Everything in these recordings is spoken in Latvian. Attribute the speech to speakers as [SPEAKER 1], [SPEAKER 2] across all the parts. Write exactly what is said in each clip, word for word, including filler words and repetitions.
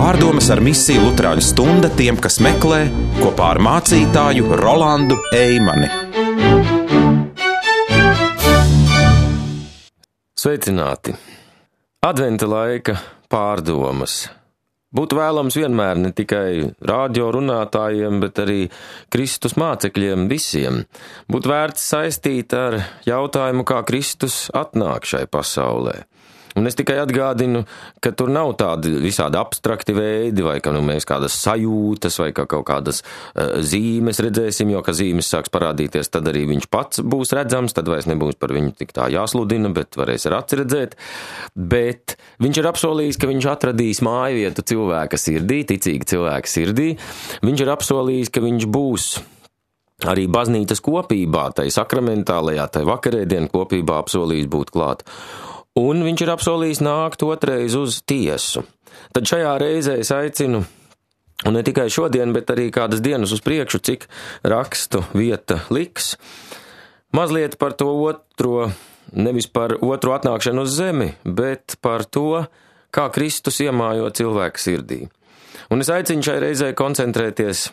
[SPEAKER 1] Pārdomas ar misiju Luterāņu stunda tiem, kas meklē, kopā ar mācītāju Rolandu Eimani.
[SPEAKER 2] Sveicināti! Adventa laika pārdomas. Būtu vēlams vienmēr ne tikai rādio runātājiem, bet arī Kristus mācekļiem visiem. Būtu vērts saistīt ar jautājumu, kā Kristus atnāk šai pasaulē. Un es tikai atgādinu, ka tur nav tādi visādi abstrakti veidi, vai ka nu, mēs kādas sajūtas, vai ka kaut kādas uh, zīmes redzēsim, jo, ka zīmes sāks parādīties, tad arī viņš pats būs redzams, tad vairs nebūs par viņu tik tā jāsludina, bet varēs ar aci redzēt. Bet viņš ir apsolījis, ka viņš atradīs māju vietu cilvēka sirdī, ticīga cilvēka sirdī. Viņš ir apsolījis, ka viņš būs arī baznīcas kopībā, tai sakramentālajā, tai vakarēdienu kopībā apsolījis būt klāt. Un viņš ir apsolījis nākt otrais uz tiesu. Tad šajā reizē es aicinu, un ne tikai šodien, bet arī kādas dienas uz priekšu, cik rakstu vieta liks, mazliet par to otro, nevis par otro atnākšanu uz zemi, bet par to, kā Kristus iemājo cilvēku sirdī. Un es aicinu šai reizē koncentrēties.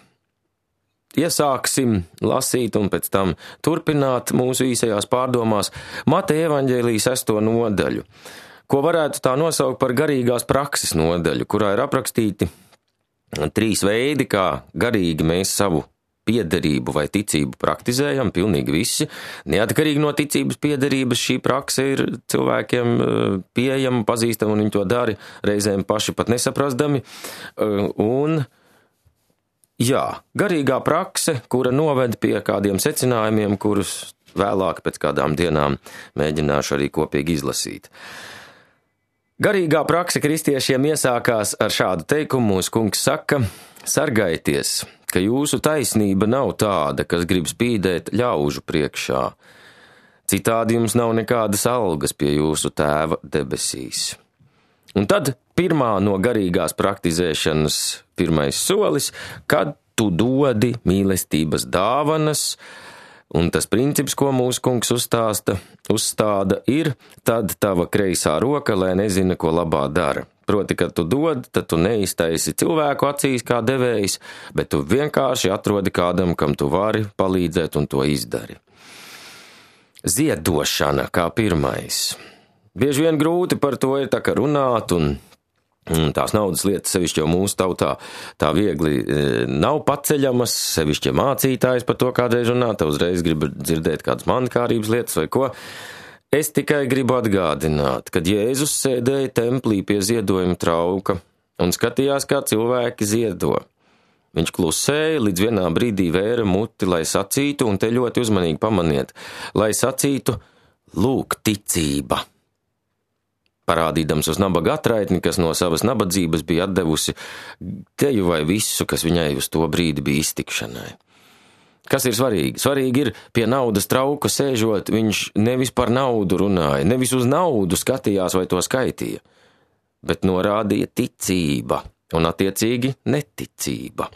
[SPEAKER 2] Iesāksim lasīt un pēc tam turpināt mūsu īsajās pārdomās Mateja evaņģēlija sesto nodaļu, ko varētu tā nosaukt par garīgās prakses nodaļu, kurā ir aprakstīti trīs veidi, kā garīgi mēs savu piederību vai ticību praktizējam, pilnīgi visi. Neatkarīgi no ticības piederības šī prakse ir cilvēkiem pieejama, pazīstama, un viņi to dara reizēm paši pat nesaprastami. Un Jā, garīgā prakse, kura noved pie kādiem secinājumiem, kurus vēlāk pēc kādām dienām mēģināšu arī kopīgi izlasīt. Garīgā prakse kristiešiem iesākās ar šādu teikumu. Mūsu kungs saka: sargaities, ka jūsu taisnība nav tāda, kas grib spīdēt ļaužu priekšā. Citādi jums nav nekādas algas pie jūsu tēva debesīs. Un tad pirmā no garīgās praktizēšanas pirmais solis, kad tu dodi mīlestības dāvanas, un tas princips, ko mūsu kungs uzstāsta, uzstāda, ir tad tava kreisā roka, lai nezina, ko labā dara. Proti, kad tu dod, tad tu neiztaisi cilvēku acīs kā devējs, bet tu vienkārši atrodi kādam, kam tu vari palīdzēt, un to izdari. Ziedošana kā pirmais. Bieži vien grūti par to ir tā kā runāt, un, un tās naudas lietas sevišķi jau mūsu tautā tā viegli e, nav paceļamas, sevišķi mācītājs par to kādreiz runā, tā uzreiz grib dzirdēt kādas mankārības lietas vai ko. Es tikai gribu atgādināt, kad Jēzus sēdēja templī pie ziedojuma trauka un skatījās, kā cilvēki ziedo. Viņš klusēja, līdz vienā brīdī vēra muti, lai sacītu, un te ļoti uzmanīgi pamaniet, lai sacītu: lūk, ticība. Parādīdams uz nabaga atraitni, kas no savas nabadzības bija atdevusi teju vai visu, kas viņai uz to brīdi bija iztikšanai. Kas ir svarīgi? Svarīgi ir pie naudas trauka sēžot, viņš nevis par naudu runāja, nevis uz naudu skatījās vai to skaitīja, bet norādīja ticība un attiecīgi neticība.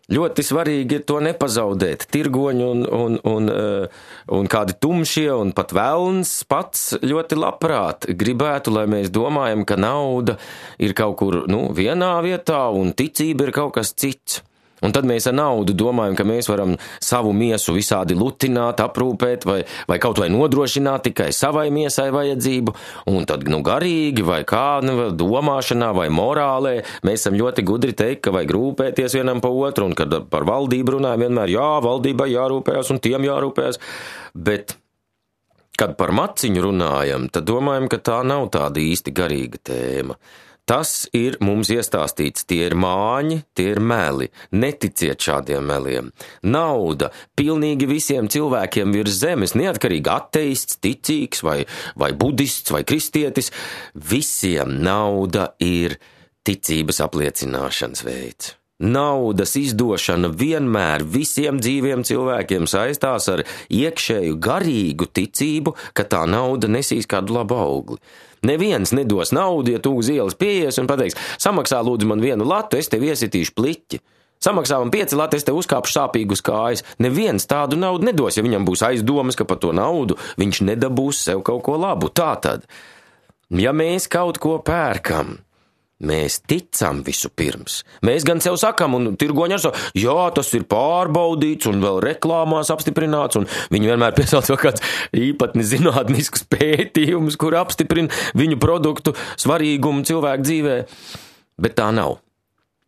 [SPEAKER 2] Ļoti svarīgi ir to nepazaudēt. Tirgoņi un, un, un, un kādi tumšie un pat velns pats ļoti labprāt gribētu, lai mēs domājam, ka nauda ir kaut kur nu, vienā vietā un ticība ir kaut kas cits. Un tad mēs ar naudu domājam, ka mēs varam savu miesu visādi lutināt, aprūpēt vai, vai kaut vai nodrošināt tikai savai miesai vajadzību. Un tad, nu, garīgi vai kā, nu, domāšanā vai morālē mēs esam ļoti gudri teikt, ka vajag rūpēties vienam pa otru, un kad par valdību runājam vienmēr, jā, valdībai jārūpējas un tiem jārūpējas. Bet, kad par maciņu runājam, tad domājam, ka tā nav tāda īsti garīga tēma. Tas ir mums iestāstīts, tie ir māņi, tie ir meli. Neticiet šādiem meliem. Nauda pilnīgi visiem cilvēkiem virs zemes, neatkarīgi ateists, ticīgs vai, vai budists vai kristietis, visiem nauda ir ticības apliecināšanas veids. Naudas izdošana vienmēr visiem dzīviem cilvēkiem saistās ar iekšēju garīgu ticību, ka tā nauda nesīs kādu labu augli. Neviens nedos naudu, ja tu uz ielas pieies un pateiks: samaksā lūdzu man vienu latu, es tev iesitīšu pliķi. Samaksā man pieci lati, es tev uzkāpšu sāpīgu uz kājas. Neviens tādu naudu nedos, ja viņam būs aizdomas, ka par to naudu viņš nedabūs sev kaut ko labu. Tātad, ja mēs kaut ko pērkam, Mēs ticam visu pirms. Mēs gan sev sakam, un tirgoņi ar savu, jā, tas ir pārbaudīts un vēl reklāmās apstiprināts, un viņi vienmēr piesauc vēl kāds īpatni zinātnisks pētījums, kur apstiprina viņu produktu svarīgumu cilvēku dzīvē. Bet tā nav.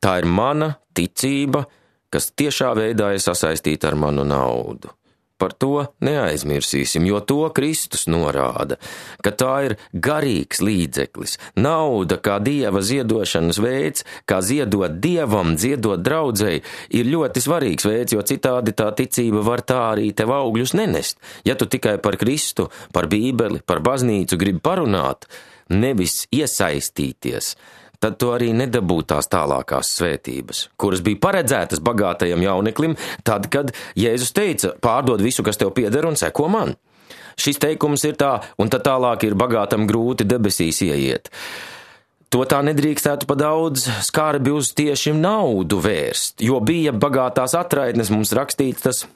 [SPEAKER 2] Tā ir mana ticība, kas tiešā veidā ir sasaistīta ar manu naudu. Par to neaizmirsīsim, jo to Kristus norāda, ka tā ir garīgs līdzeklis, nauda kā Dieva ziedošanas veids, kā ziedot Dievam, ziedot draudzei, ir ļoti svarīgs veids, jo citādi tā ticība var tā arī tev augļus nenest. Ja tu tikai par Kristu, par Bībeli, par baznīcu gribi parunāt, nevis iesaistīties, tad tu arī nedabū tās tālākās svētības, kuras bija paredzētas bagātajam jauneklim, tad, kad Jēzus teica, pārdod visu, kas tev pieder un seko man. Šis teikums ir tā, un tad tālāk ir bagātam grūti debesīs ieiet. To tā nedrīkstētu pa daudz skarbi uz tieši naudu vērst, jo bija bagātās atraitnes mums rakstīts tas,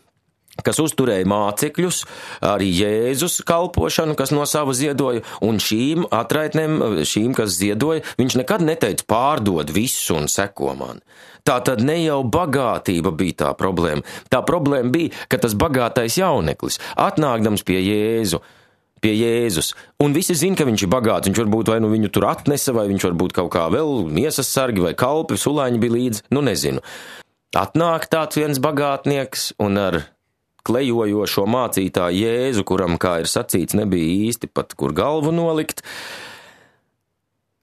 [SPEAKER 2] kas uzturēja mācekļus, arī Jēzus kalpošanu, kas no sava ziedoja, un šīm atraitnēm, šīm, kas ziedoja, viņš nekad neteica pārdod visu un seko man. Tā tad ne jau bagātība bija tā problēma. Tā problēma bija, ka tas bagātais jauneklis, atnākdams pie Jēzu, pie Jēzus, un visi zina, ka viņš ir bagāts, viņš varbūt vai nu viņu tur atnesa, vai viņš varbūt kaut kā vēl miesas sargi vai kalpi, sulāņi bija līdzi, nu nezinu. Atnāk tāds viens bagātnieks un ar klejojošo mācītāju Jēzu, kuram, kā ir sacīts, nebija īsti pat kur galvu nolikt,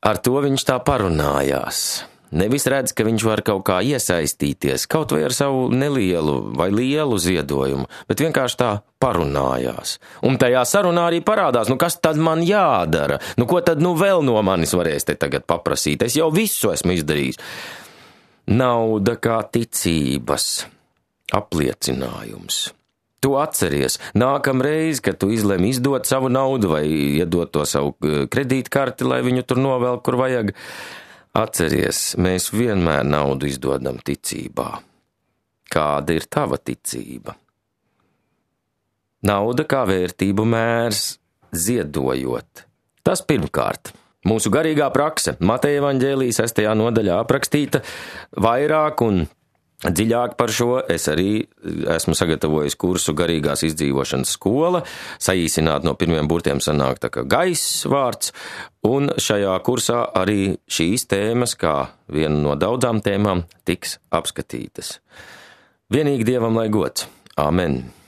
[SPEAKER 2] ar to viņš tā parunājās. Nevis redz, ka viņš var kaut kā iesaistīties, kaut vai ar savu nelielu vai lielu ziedojumu, bet vienkārši tā parunājās. Un tajā sarunā arī parādās, nu kas tad man jādara? Nu ko tad nu vēl no manis varēs te tagad paprasīt? Es jau visu esmu izdarījis. Nauda kā ticības apliecinājums. Tu atceries, nākamreiz, kad tu izlemi izdot savu naudu vai iedot to savu kredītkarti, lai viņu tur novelk, kur vajag, atceries, mēs vienmēr naudu izdodam ticībā. Kāda ir tava ticība? Nauda kā vērtību mērs, ziedojot. Tas pirmkārt. Mūsu garīgā prakse, Mateja evaņģēlija sestajā nodaļā aprakstīta vairāk un dziļāk par šo. Es arī esmu sagatavojis kursu garīgās izdzīvošanas skola, saīsināt no pirmiem burtiem sanāk tā kā gaiss vārds, un šajā kursā arī šīs tēmas, kā viena no daudzām tēmām, tiks apskatītas. Vienīgi Dievam lai gods. Amen.